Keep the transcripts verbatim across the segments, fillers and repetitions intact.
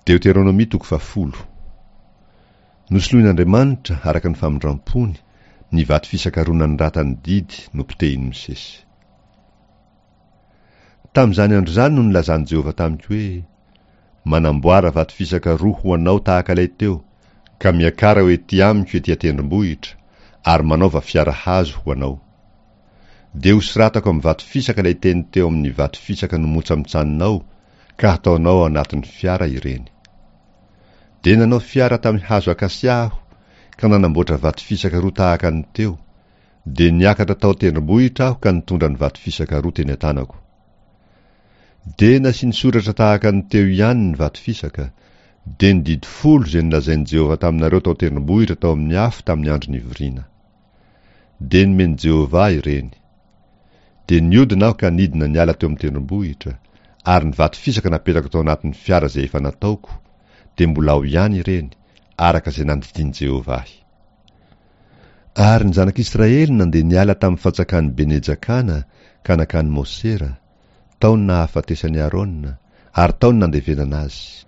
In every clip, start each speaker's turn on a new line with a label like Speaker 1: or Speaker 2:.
Speaker 1: Deoteronomia toko fahafolo. Nosoloin'Andriamanitra, araka ny famindram-pony, ny vato fisaka roa nanoratan'ny didy nopotehin'i Mosesy. Tamin'izany andro izany no nilazan'i Jehovah tamiko hoe, Manamboara vato fisaka roa ho anao tahaka ilay teo, ka miakara ho ety amiko ety an-tendrombohitra, ary manaova fiara hazo ho anao. Dia hosoratako amin'ny vato fisaka ilay teny teo amin'ny vato fisaka nomontsamontsaninao, ka hataonao ao anatin'ny fiara ireny. Dia nanao fiara tamin'ny hazo akasia aho, ka nanamboatra vato fisaka roa tahaka ny teo. Dia niakatra tao an-tendrombohitra aho ka nitondra ny vato fisaka roa teny an-tanako. Dia nasiany soratra tahaka ny teo ihany ny vato fisaka, dia ny didy folo izay nolazain'i Jehovah taminareo tao an-tendrombohitra tao amin'ny afo tamin'ny andro nivoriana. Dia nomen'i Jehovah ahy ireny. Dia niodina aho ka nidina niala teo amin'ny tendrombohitra, ary ny vato fisaka napetrako tao anatin'ny fiara izay efa nataoko, dia mbola ao ihany ireny, araka izay nandidian'i Jehovah ahy. Ary ny zanak'Israely nandeha niala tamin'ny fantsakan'i Bene-jakana ka nankany Mosera, tao ny nahafatesan'i Arona, ary tao ny nandevenana azy.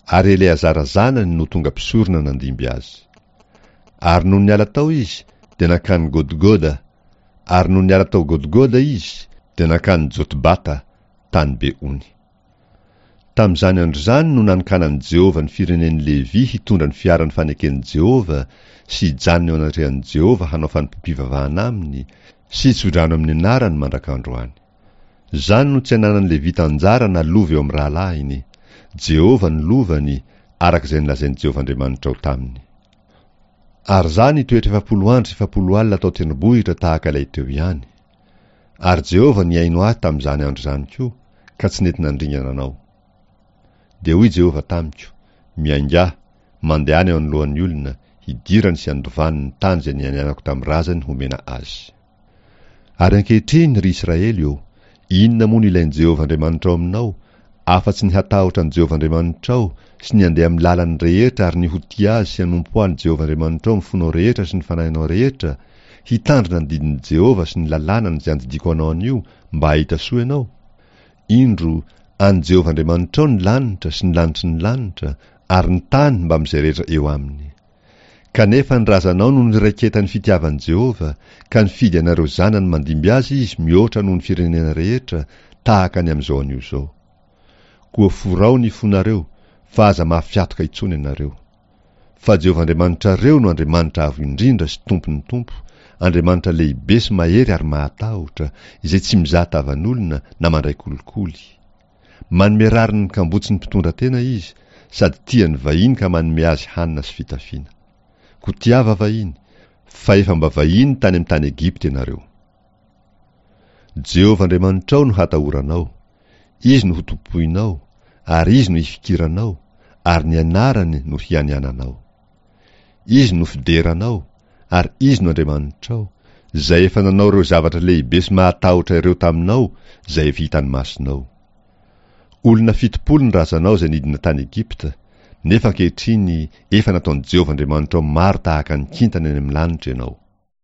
Speaker 1: Ary Eleazara zanany no tonga mpisorona nandimby azy. Ary nony niala tao izy, dia nankany Godgoda, ary nony niala tao Godgoda izy, dia nankany Jotbata, tany be ony. Tamin'izany andro izany no nanokanan'i Jehovah ny firenen'i Levy hitondra ny fiaran'ny faneken'i Jehovah sy hijanona eo anatrehan'i Jehovah hanao fanompoam-pivavahana aminy sy hitsodrano amin'ny anarany mandrak'androany. Izany no tsy ananan'ny Levita anjara na lova eo amin'ny rahalahiny. Jehovah no lovany, araka izay nolazain'i Jehovah Andriamanitrao taminy. Ary izaho nitoetra efapolo andro sy efapolo alina tao an-tendrombohitra tahaka ilay teo ihany. Ary Jehovah nihaino ahy tamin'izany andro izany koa, ka tsy nety nandringana anao. Dia hoy Jehovah tamiko, Miaingà, mandehana eo anoloan'ny olona, hidirany sy handovany ny tany izay nianianako tamin'ny razany homena azy. Ary ankehitriny, ry Israely ô, inona moa no ilain'i Jehovah Andriamanitrao aminao, afa-tsy ny hatahotra an'i Jehovah Andriamanitrao sy ny handeha amin'ny lalany rehetra ary ny ho tia Azy sy hanompo an'i Jehovah Andriamanitrao amin'ny fonao rehetra sy ny fanahinao rehetra, hitandrina ny didin'i Jehovah sy ny lalànany izay andidiako anao anio mba hahita soa ianao? Indro, an'i Jehovah Andriamanitrao ny lanitra sy ny lanitry ny lanitra ary ny tany mbamin'izay rehetra eo aminy. Kanefa ny razanao no niraiketan'ny fitiavan'i Jehovah, ka nifidy anareo zanany mandimby azy izy mihoatra noho ny firenena rehetra, tahaka ny amin'izao anio izao. Koa forao ny fonareo, fa aza mafy hatoka intsony ianareo. Fa Jehovah Andriamanitrareo no Andriamanitra Avo Indrindra sy Tompon'ny tompo, Andriamanitra lehibe sy mahery ary mahatahotra, izay tsy mizaha tavan'olona na mandray kolikoly. Manome rariny ny kambotsy ny mpitondra tena izy, sady tia ny vahiny ka manome azy hanina sy fitafiana. Koa tiava vahiny, fa efa mba vahiny tany amin'ny tany Egypta ianareo. Jehovah Andriamanitrao no hatahoranao, Izy no hotompoinao, ary Izy no hifikiranao, ary ny anarany no hianiananao. Izy no fideranao, ary Izy no Andriamanitrao, izay efa nanao ireo zavatra lehibe sy mahatahotra ireo taminao, izay efa hitan'ny masonao. Olona fitopolo ny razanao izay nidina tany Egypta, nefa ankehitriny efa nataon'i Jehovah Andriamanitrao maro tahaka ny kintana eny amin'ny lanitra ianao.